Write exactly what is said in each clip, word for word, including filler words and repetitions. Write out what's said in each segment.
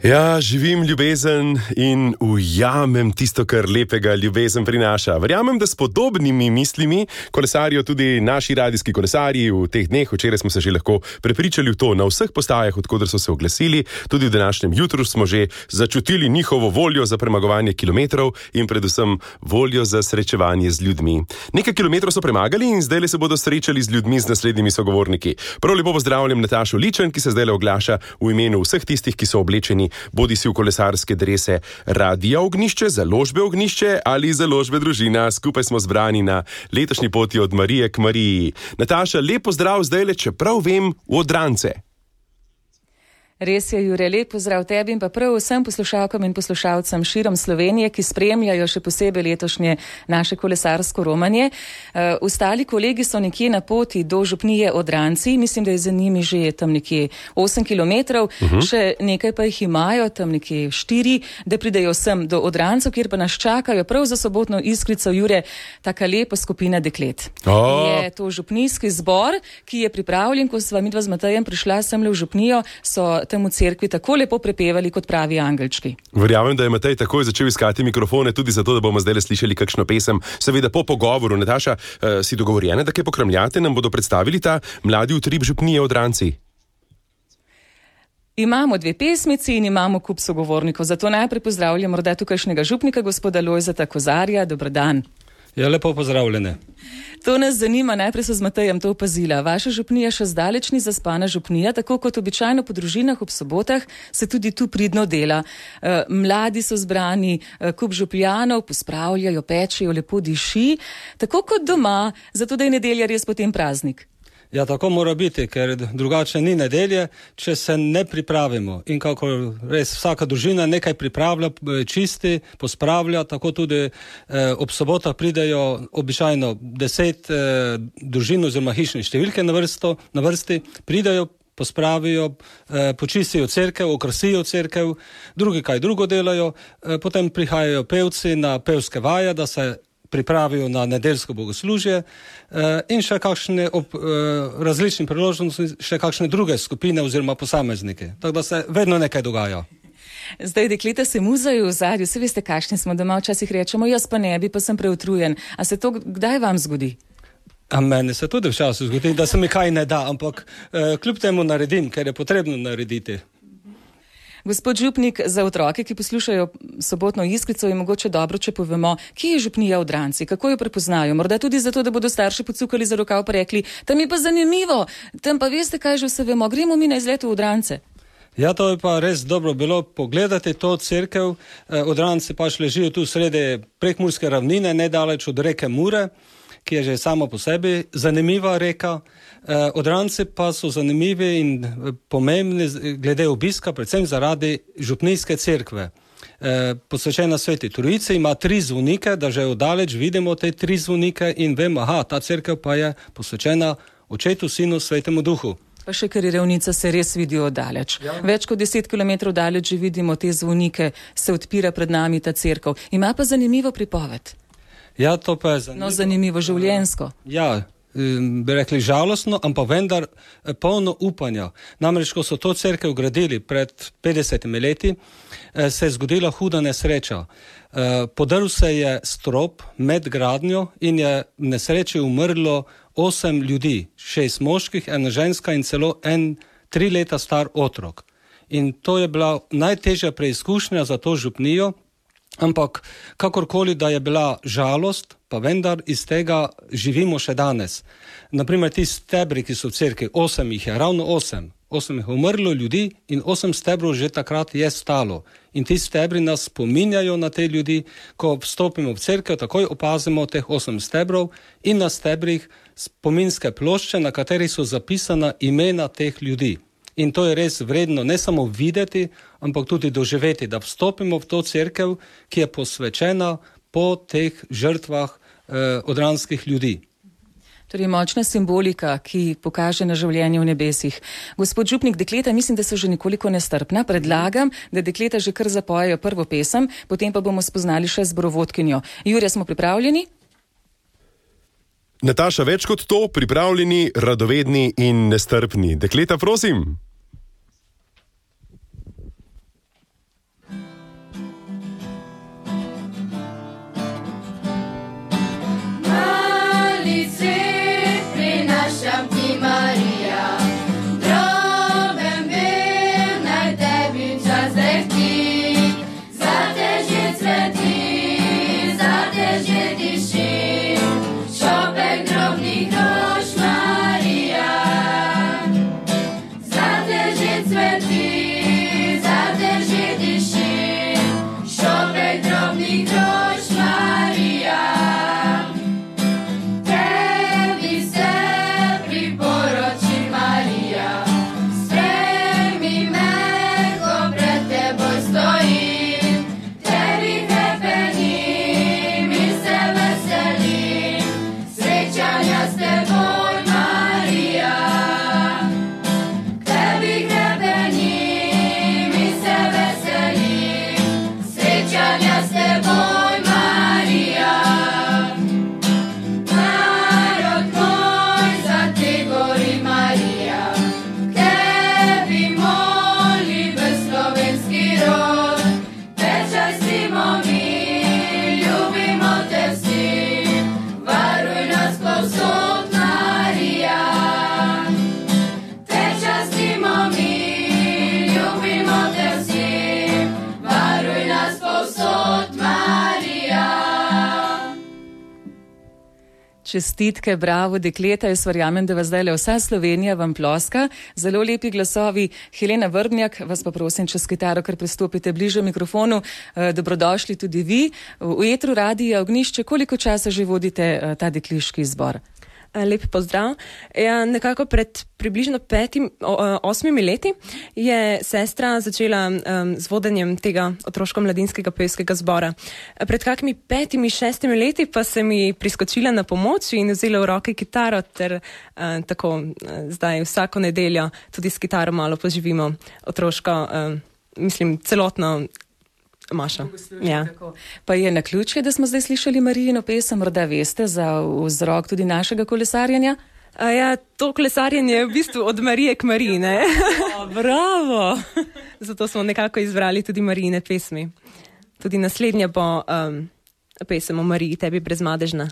Ja, živim ljubezen in ujamem tisto, kar lepega ljubezen prinaša. Verjamem, da s podobnimi mislimi kolesarijo tudi naši radijski kolesarji v teh dneh. Včeraj smo se že lahko prepričali v to na vseh postajah, odkoder so se oglasili. Tudi v današnjem jutru smo že začutili njihovo voljo za premagovanje kilometrov in predvsem voljo za srečevanje z ljudmi. Nekaj kilometrov so premagali in zdaj se bodo srečali z ljudmi, z naslednjimi sogovorniki. Prav lepo pozdravljam Natašo Ličen, ki se zdaj oglaša v imenu vseh tistih, ki so oblečeni bodi si v kolesarske drese Radia Ognjišče, Založbe Ognjišče ali Založbe Družina. Skupaj smo zbrani na letošnji poti od Marije k Mariji. Nataša, lep pozdrav zdajle, čeprav vem, v Odrantce. Res je, Jure, lep pozdrav tebi in pa prav vsem poslušalkam in poslušalcem širom Slovenije, ki spremljajo še posebej letošnje naše kolesarsko romanje. Uh, ostali kolegi so nekje na poti do župnije Odranci, mislim, da je za njimi že tam nekje osem kilometrov, uh-huh. Še nekaj pa jih imajo, tam nekje štiri, da pridejo sem do Odrancev, kjer pa nas čakajo prav za sobotno iskrico, Jure, taka lepa skupina deklet. Oh. Je to župnijski zbor, ki je pripravljen, ko sva midva z Matejem prišla semle v župnijo, so tam v cerkvi tako lepo prepevali kot pravi angelčki. Verjamem, da je Matej takoj začel iskati mikrofone, tudi zato, da bomo zdaj slišali kakšno pesem. Seveda po pogovoru. Nataša, uh, si dogovorjena, da kaj pokramljate, nam bodo predstavili ta mladi utrip župnije Odranci? Imamo dve pesmici in imamo kup sogovornikov, zato najprej pozdravljam morda tukajšnjega župnika, gospoda Lojzeta Kozarja. Dober dan. Ja, lepo pozdravljene. To nas zanima, najprej so z Matejem to opazila. Vaša župnija še zdaleč ni zaspana župnija, tako kot običajno po družinah ob sobotah se tudi tu pridno dela. E, mladi so zbrani, e, kup župljanov, pospravljajo, pečejo, lepo diši, tako kot doma, zato da je nedelja res potem praznik. Ja, tako mora biti, ker drugače ni nedelje, če se ne pripravimo. In kako res vsaka družina nekaj pripravlja, čisti, pospravlja, tako tudi eh, ob sobotah pridejo običajno deset eh, družin oziroma hišne številke na, vrsto, na vrsti, pridejo, pospravijo, eh, počistijo cerkev, okrasijo cerkev, drugi kaj drugo delajo, eh, potem prihajajo pevci na pevske vaje, da se pripravijo na nedeljsko bogoslužje eh, in še kakšne ob eh, različnih priložnosti, še kakšne druge skupine oziroma posameznike. Tako da se vedno nekaj dogaja. Zdaj dekleta se muzajo v zadju, vse veste, kakšni smo doma, včasih rečemo, jaz pa ne bi, pa sem preutrujen. A se to kdaj vam zgodi? A meni se tudi včasih zgodi, da se mi kaj ne da, ampak eh, kljub temu naredim, ker je potrebno narediti. Gospod župnik, za otroke, ki poslušajo sobotno iskrico, je mogoče dobro, če povemo, kje je župnija Odranci, kako jo prepoznajo. Morda tudi zato, da bodo starši pocukali za rokav pa rekli, tam je pa zanimivo, tam pa veste, kaj že vse vemo, gremo mi na izlet v Odrance. Ja, to je pa res dobro bilo pogledati to cerkev. Odranci pač ležijo tu sredi prekmurske ravnine, nedaleč od reke Mure, ki je že samo po sebi zanimiva reka. Odranci pa so zanimivi in pomembni glede obiska, predvsem zaradi župnijske cerkve. Posvečena Sveti Trojici, ima tri zvonike, da že oddaleč vidimo te tri zvonike in vemo, aha, ta cerkev pa je posvečena Očetu, Sinu, Svetemu Duhu. Pa še ker je Revnica se res vidijo oddaleč. Ja. Več kot deset kilometrov daleč že vidimo te zvonike, se odpira pred nami ta cerkev. Ima pa zanimivo pripoved. Ja, to pa je zanimivo. No, zanimivo življenjsko. Ja, bi rekli žalostno, ampak vendar polno upanja. Namreč, ko so to cerkev gradili pred petdesetimi leti, se je zgodila huda nesreča. Podrl se je strop med gradnjo in je v nesreči umrlo osem ljudi, šest moških, ena ženska in celo en tri leta star otrok. In to je bila najtežja preizkušnja za to župnijo, ampak kakorkoli, da je bila žalost, pa vendar iz tega živimo še danes. Naprimer, ti stebri, ki so v cerkvi, osem jih je, ravno osem. Osem jih je umrlo ljudi in osem stebrov že takrat je stalo. In ti stebri nas spominjajo na te ljudi, ko vstopimo v cerkev, takoj opazimo teh osem stebrov in na stebrih spominske plošče, na katerih so zapisana imena teh ljudi. In to je res vredno ne samo videti, ampak tudi doživeti, da vstopimo v to cerkev, ki je posvečena po teh žrtvah eh, odranskih ljudi. Torej močna simbolika, ki pokaže na življenje v nebesih. Gospod župnik, dekleta, mislim, da so že nekoliko nestrpna. Predlagam, da dekleta že kar zapojejo prvo pesem, potem pa bomo spoznali še zborovodkinjo. Jure, smo pripravljeni? Nataša, več kot to, pripravljeni, radovedni in nestrpni. Dekleta, prosim. Čestitke, bravo, dekleta, jaz verjamem, da vas zdaj le vsa Slovenija vam ploska. Zelo lepi glasovi. Helena Vrdnjak, vas pa prosim čez kitaro, ker pristopite bliže mikrofonu. Dobrodošli tudi vi. V etru Radija Ognjišče, koliko časa že vodite ta dekliški zbor? Lep pozdrav. Ja, nekako pred približno petim, osmimi leti je sestra začela um, z vodenjem tega otroško-mladinskega pevskega zbora. Pred kakimi petimi, šestimi leti pa se mi priskočila na pomoč in vzela v roke kitaro ter uh, tako uh, zdaj vsako nedeljo tudi s kitaro malo poživimo otroško, uh, mislim, celotno Maša. Ja. Pa je naključje, da smo zdaj slišali Marijino pesem, morda veste za vzrok tudi našega kolesarjenja? A ja, to kolesarjenje je v bistvu od Marije k Mariji, ne? O, bravo! Zato smo nekako izbrali tudi Marijine pesmi. Tudi naslednja bo um, pesem o Mariji, tebi brezmadežna.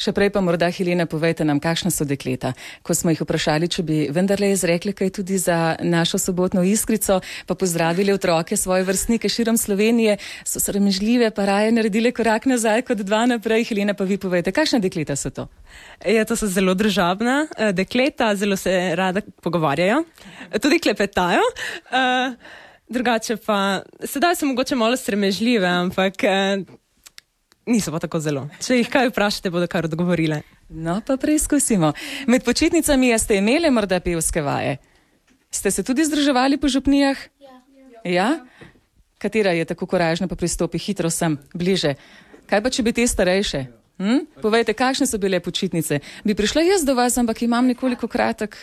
Še prej pa morda, Helena, povejte nam, kakšna so dekleta. Ko smo jih vprašali, če bi vendarle izrekli kaj tudi za našo sobotno iskrico, pa pozdravili otroke, svoje vrstnike širom Slovenije, so sramežljive, pa raje naredile korak nazaj kot dva naprej. Helena, pa vi povejte, kakšna dekleta so to? Ja, to so zelo družabna dekleta, zelo se rada pogovarjajo, tudi klepetajo. Uh, drugače pa, sedaj so mogoče malo sramežljive, ampak uh, niso pa tako zelo. Če jih kaj vprašate, bodo kar odgovorile. No, pa preizkusimo. Med počitnicami ste imeli morda pevske vaje? Ste se tudi združevali po župnijah? Ja. Ja? Katera je tako koražna, pa pristopi hitro sem, bliže? Kaj pa, če bi te starejše? Hm? Povejte, kakšne so bile počitnice? Bi prišla jaz do vas, ampak imam nekoliko kratek,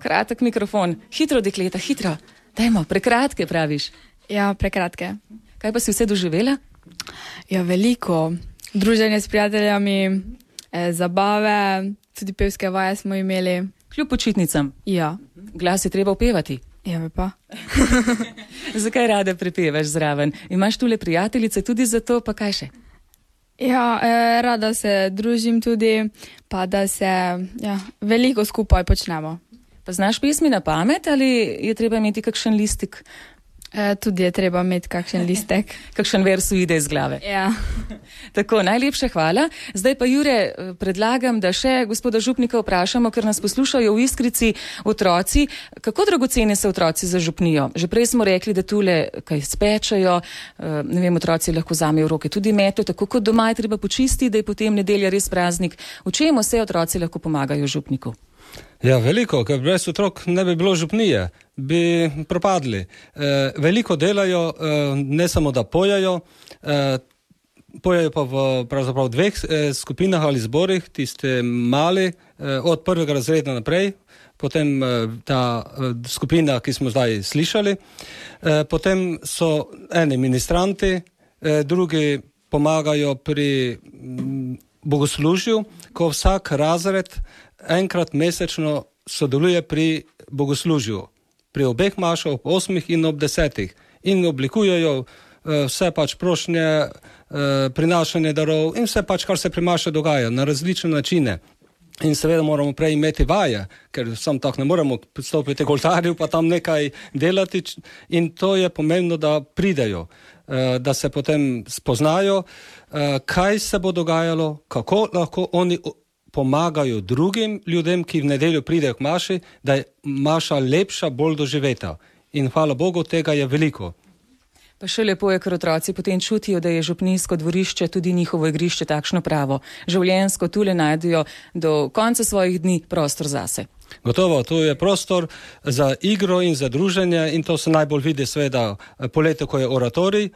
kratek mikrofon. Hitro, dekleta, hitro. Dajmo, prekratke praviš. Ja, prekratke. Kaj pa si vse doživela? Ja, veliko. Druženje s prijateljami, eh, zabave, tudi pevske vaje smo imeli. Kljub počitnicam? Ja. Glas je treba upevati? Ja, pa. Zakaj rada prepevaš zraven? Imaš tule prijateljice tudi za to, pa kaj še? Ja, eh, rada se družim tudi, pa da se ja, veliko skupaj počnemo. Pa znaš pesmi na pamet ali je treba imeti kakšen listik? E, tudi je treba imeti kakšen listek. Kakšen vers uide iz glave. Ja. Tako, najlepša hvala. Zdaj pa, Jure, predlagam, da še gospoda župnika vprašamo, ker nas poslušajo v Iskrici otroci. Kako dragocene so otroci za župnijo? Že prej smo rekli, da tule kaj spečajo, ne vem, otroci lahko vzamejo v roke tudi meto, tako kot doma je treba počistiti, da je potem nedelja res praznik. V čem vse otroci lahko pomagajo župniku? Ja, veliko, ker brez otrok ne bi bilo župnije, bi propadli. E, veliko delajo, e, ne samo da pojajo, e, pojajo pa v pravzaprav dveh e, skupinah ali zborih, tiste mali, e, od prvega razreda naprej, potem e, ta e, skupina, ki smo zdaj slišali, e, potem so eni ministranti, e, drugi pomagajo pri m, bogoslužju, ko vsak razred enkrat mesečno sodeluje pri bogoslužju, pri obeh mašah, ob osmih in ob desetih, in oblikujejo uh, vse pač prošnje, uh, prinašanje darov in vse pač, kar se pri maši dogaja, na različne načine. In seveda moramo prej imeti vaje, ker sam tako ne moremo pristopiti k oltarju pa tam nekaj delati, in to je pomembno, da pridejo, uh, da se potem spoznajo, uh, kaj se bo dogajalo, kako lahko oni pomagajo drugim ljudem, ki v nedeljo pridejo k maši, da je maša lepša, bolj doživeta. In hvala Bogu, tega je veliko. Pa še lepo je, ker otroci potem čutijo, da je župnijsko dvorišče tudi njihovo igrišče takšno pravo. Življenjsko tule najdejo do konca svojih dni prostor zase. Gotovo, tu je prostor za igro in za druženje in to se najbolj vidi seveda poletje, ko je oratorij,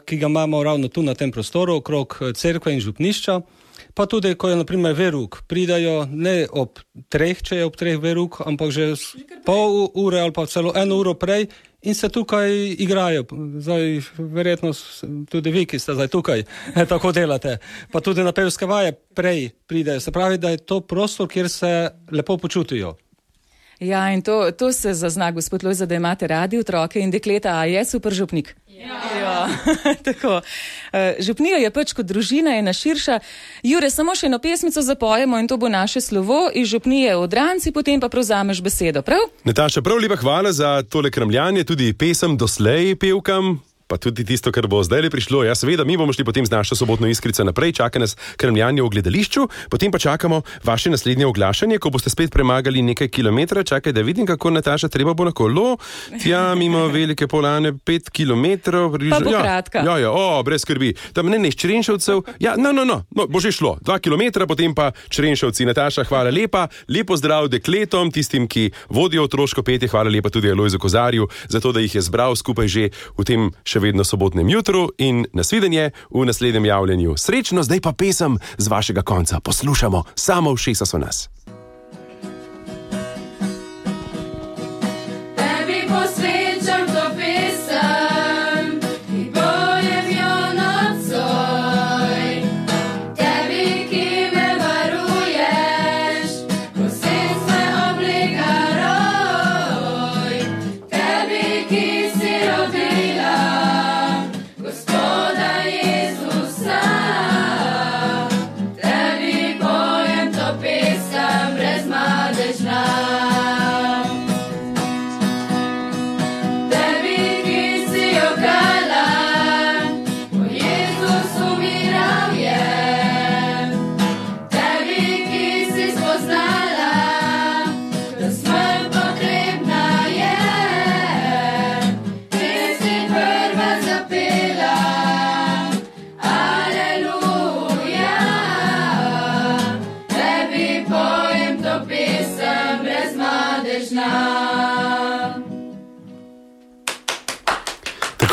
ki ga imamo ravno tu na tem prostoru, okrog cerkve in župnišča. Pa tudi, ko je na primer veruk, pridajo ne ob treh, če je ob treh veruk, ampak že pol ure ali pa celo eno uro prej in se tukaj igrajo. Zdaj, verjetno tudi vi, ki ste zdaj tukaj, tako delate. Pa tudi na pevske vaje prej pridajo. Se pravi, da je to prostor, kjer se lepo počutijo. Ja, in to, to se zazna, gospod Lojze, da imate radi otroke in dekleta, a je super župnik? Ja. Ja. Tako. Župnija je pač kot družina, ena širša. Jure, samo še eno pesmico zapojemo in to bo naše slovo iz župnije Odranci, potem pa prevzameš besedo, prav? Nataša, prav lepa hvala za tole kramljanje, tudi pesem doslej pevkam. pa tudi tisto, kar bo zdaj le prišlo. Ja, seveda, mi bomo šli potem z našo sobotno iskrico naprej, čaka nas krmljanje v gledališču, potem pa čakamo vaše naslednje oglašanje, ko boste spet premagali nekaj kilometra. Čakaj, da vidim, kako Nataša, treba bo na kolo. Tja, mimo Velike Polane, pet kilometrov. Pa bo ja, kratka. Ja, ja, o, brez skrbi. Tam ne, ne, iz Črenšovcev. Ja, no, no, no, no, bo že šlo. Dva kilometra, potem pa Črenšovci. Nataša, hvala lepa. Lepo zdrav dekletom, tistim, ki vodijo otroško petje. Hvala lepa tudi Alojzu Kozarju, zato da jih je zbral skupaj že v tem še vedno sobotnem jutru in nasvidenje v naslednjem javljanju. Srečno, zdaj pa pesem z vašega konca. Poslušamo, samo ušesa so nas.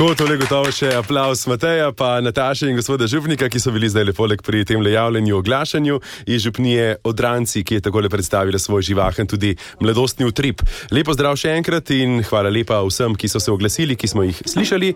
Tako, tole gotovo še aplauz Mateja, pa Nataše in gospoda Župnika, ki so bili zdaj lepoleg pri tem javljanju oglašanju iz župnije Odranci, ki je takole predstavila svoj živahen tudi mladostni utrip. Lepo zdrav še enkrat in hvala lepa vsem, ki so se oglasili, ki smo jih slišali.